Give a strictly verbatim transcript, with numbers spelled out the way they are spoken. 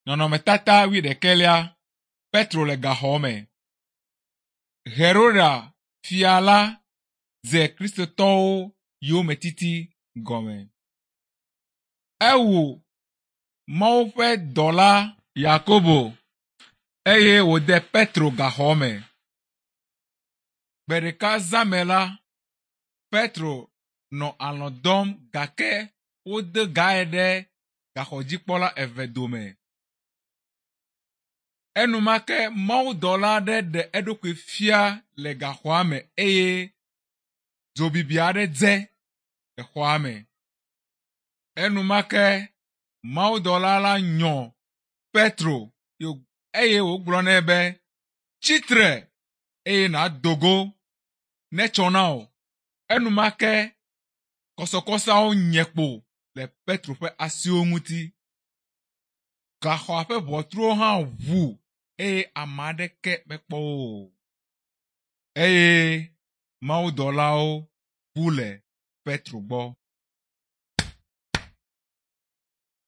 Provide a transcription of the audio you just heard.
Nɔnɔmetata wuiɖekɛlia Petro le gaxɔ me. Heroda fia la dze kristotɔwo yometiti gɔme. Ewu Mawu ƒe dɔla Yakobo eye wòde Petro gaxɔ me. Gbe ɖeka zã me la, Petro nɔ alɔ̃ dɔm gake wode gae ɖe gaxɔdzikpɔla eve dome. Enumake mawudɔla aɖe ɖe eɖokui fia le gaxɔa me eye dzobibi aɖe dze le xɔa me. Enumake mawudɔla la nyɔ Petro eye wògblɔ nɛ be, “Tsitre eye nàdo go netsɔ na wò.” Enumake kɔsɔkɔsɔawo nye kpo le Petro ƒe asiwo ŋuti. Gaxɔa ƒe ʋɔtruwo hã ʋu eye ame aɖeke mekpɔ wo o. Eye mawudɔlawo bu le Petro gbɔ.